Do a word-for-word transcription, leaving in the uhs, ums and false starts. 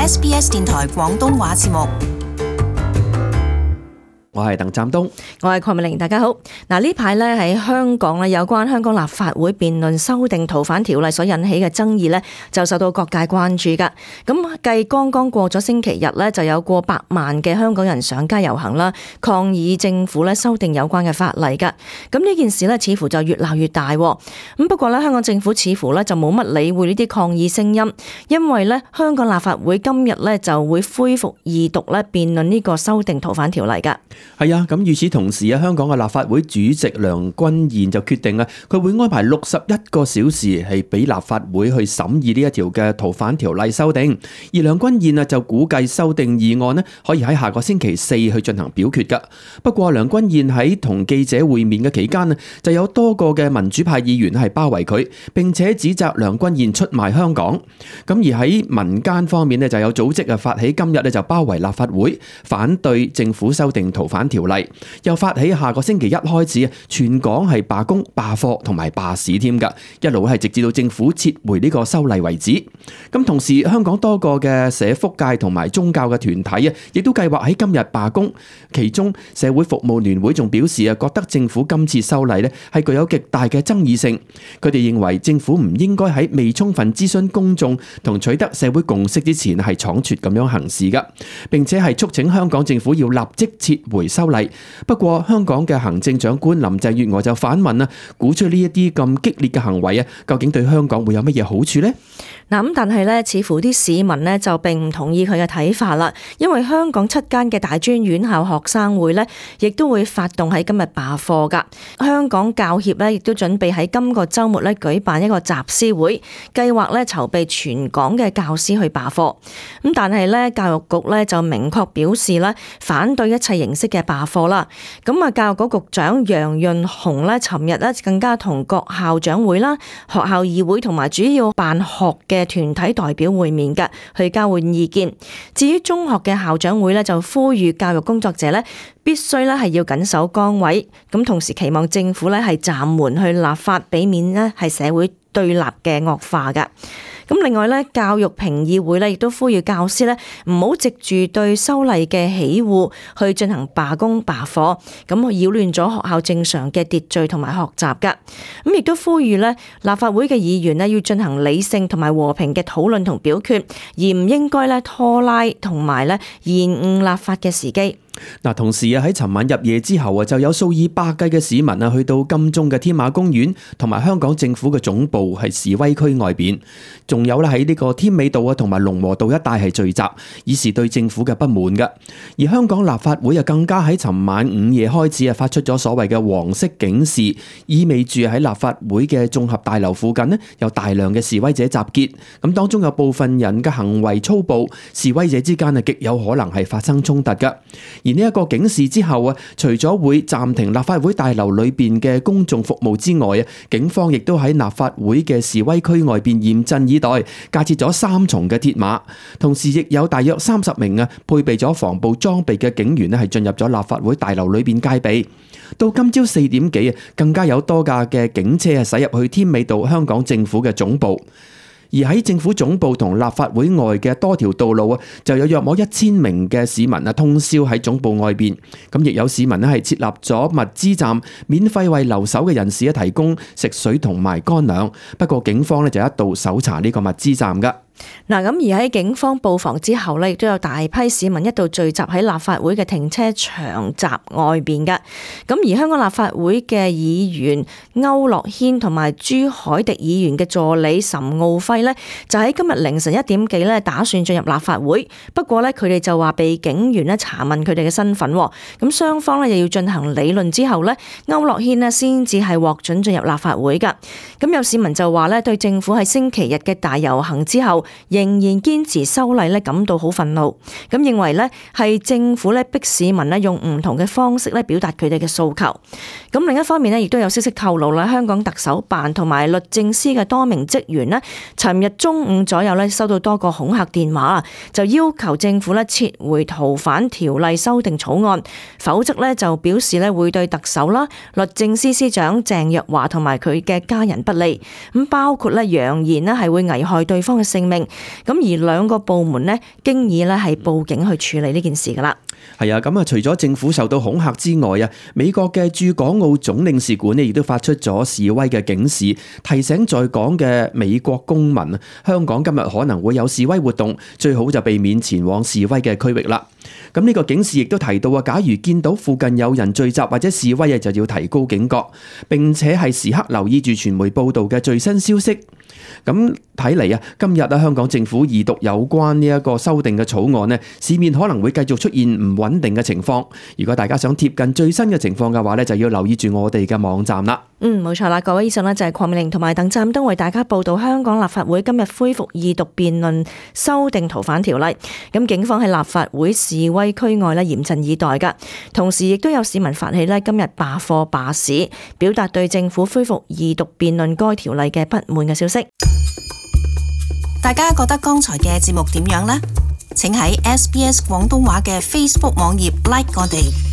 S B S 電台廣東話節目。我係鄧湛東，我係鄺美玲，大家好。嗱，呢排咧喺香港咧，有關香港立法會辯論修訂逃犯條例所引起嘅爭議咧，就受到各界關注噶。咁繼剛剛過咗星期日咧，就有過百萬嘅香港人上街遊行啦，抗議政府咧修訂有關嘅法例噶。咁呢件事咧，似乎就越鬧越大。咁不過咧，香港政府似乎咧就冇乜理會呢啲抗議聲音，因為咧香港立法會今日咧就會恢復二讀咧辯論呢個修訂逃犯條例噶。係啊，咁與此同時啊，香港嘅立法會主席梁君彥就決定啊，佢會安排六十一個小時係俾立法會去審議呢一條嘅逃犯條例修訂。而梁君彥啊就估計修訂議案呢可以喺下個星期四去進行表決噶。不過梁君彥喺同記者會面嘅期間啊，就有多個嘅民主派議員係包圍佢，並且指責梁君彥出賣香港。咁而喺民間方面呢，就有組織啊發起今日呢就包圍立法會，反對政府修訂逃犯條例，又發起下個星期一開始啊，全港係罷工、罷課同埋罷市添噶，一路係直至到政府撤回呢個修例為止。咁同時，香港多個嘅社福界同埋宗教嘅團體啊，亦都計劃喺今日罷工。其中社會服務聯會仲表示啊，覺得政府今次修例呢係具有極大嘅爭議性。佢哋認為政府唔應該喺未充分諮詢公眾同取得社會共識之前係倉促咁樣行事噶，並且係促請香港政府要立即撤回修例。不過香港嘅行政長官林鄭月娥就反問啊，鼓吹呢一啲咁激烈嘅行為啊，究竟對香港會有乜嘢好處呢？嗱咁，但係咧，似乎啲市民呢就並唔同意佢嘅睇法啦。因為香港七間嘅大專院校學生會呢，亦都會發動喺今日罷課噶。香港教協呢，亦都準備喺今個週末呢舉辦一個集思會，計劃呢籌備全港嘅教師去罷課。咁但係呢，教育局呢就明確表示呢，反對一切形式嘅罷課啦。咁啊，教育局局長楊潤雄呢，尋日呢更加同各校長會啦、學校議會同埋主要辦學嘅嘅團體代表會面嘅，去交換意見。至於中學嘅校長會呢，就呼籲教育工作者呢必須咧係要緊守崗位，咁同時期望政府呢係暫緩去立法，避免呢係社會對立嘅惡化嘅。咁另外咧，教育評議會咧亦都呼籲教師咧唔好藉住對修例嘅喜惡去進行罷工罷課，咁擾亂咗學校正常嘅秩序同埋學習噶。咁亦都呼籲咧立法會嘅議員咧要進行理性同埋和平嘅討論同表決，而唔應該咧拖拉同埋咧延誤立法嘅時機。嗱，同時啊喺尋晚入夜之後啊，就有數以百計嘅市民啊去到金鐘嘅天馬公園同埋香港政府嘅總部係示威區外邊，仲有啦喺呢個添美道啊同埋龍和道一帶係聚集，以示對政府嘅不滿噶。而香港立法會啊更加喺尋晚午夜開始啊發出咗所謂嘅黃色警示，意味住喺立法會嘅綜合大樓附近呢有大量嘅示威者集結，咁當中有部分人嘅行為粗暴，示威者之間啊極有可能係發生衝突噶。而呢一個警示之後啊，除咗會暫停立法會大樓裏邊嘅公眾服務之外啊，警方亦都喺立法會嘅示威區外邊嚴陣以待，架設咗三重嘅鐵馬，同時亦有大約三十名啊配備咗防暴裝備嘅警員咧係進入咗立法會大樓裏邊戒備。到今朝四點幾啊，更加有多架嘅警車係駛入去添美道香港政府嘅總部。而喺政府總部同立法會外嘅多條道路啊，就有約莫一千名嘅市民啊通宵喺總部外邊。咁亦有市民咧係設立咗物資站，免費為留守嘅人士咧提供食水同埋乾糧。不過警方咧就一度搜查呢個物資站噶。嗱，咁而喺警方布防之後呢，亦都有大批市民一度聚集喺立法會嘅停車場閘外邊嘅。咁而香港立法會嘅議員區諾軒同埋朱凱廸議員嘅助理岑敖暉呢，就喺今日凌晨一點幾呢打算進入立法會。不過呢，佢哋就話被警員呢查問佢哋嘅身份。咁雙方呢又要進行理論之後呢，區諾軒呢先至係獲准進入立法會噶。咁有市民就話呢，對政府喺星期日嘅大遊行之後仍然堅持修例咧，感到好憤怒。咁認為咧係政府咧逼市民咧用唔同嘅方式咧表達佢哋嘅訴求。咁另一方面咧，亦都有消息透露啦，香港特首辦同埋律政司嘅多名職員咧，尋日中午左右咧收到多個恐嚇電話，就要求政府咧撤回逃犯條例修訂草案，否則咧就表示咧會對特首啦、律政司司長鄭若驊同埋佢嘅家人不利。咁包括咧揚言咧係會危害對方嘅性命。命。咁而兩個部門呢，經已咧係報警去處理呢件事噶啦。係啊，咁啊，除咗政府受到恐嚇之外啊，美國嘅駐港澳總領事館呢亦都發出咗示威嘅警示，提醒在港嘅美國公民啊，香港今日可能會有示威活動，最好就避免前往示威嘅區域啦。咁呢個警示亦都提到啊，假如見到附近有人聚集或者示威啊，就要提高警覺，並且係時刻留意住傳媒報道嘅最新消息。咁睇嚟啊，今日啊，香港政府二讀有關呢一個修訂嘅草案呢，市面可能會繼續出現唔穩定嘅情況。如果大家想貼近最新嘅情況嘅話呢，就要留意住我哋嘅網站啦。嗯，冇錯啦，各位，以上呢就係鄺美玲同埋鄧湛東為大家報道香港立法會今日恢復二讀辯論修訂逃犯條例。咁警方喺立法會示威區外呢嚴陣以待噶，同時亦都有市民發起呢今日罷課罷市，表達對政府恢復二讀辯論該條例嘅不滿嘅消息。大家覺得剛才嘅節目點樣呢？請喺 S B S 廣東話嘅 Facebook 網頁 like 我哋。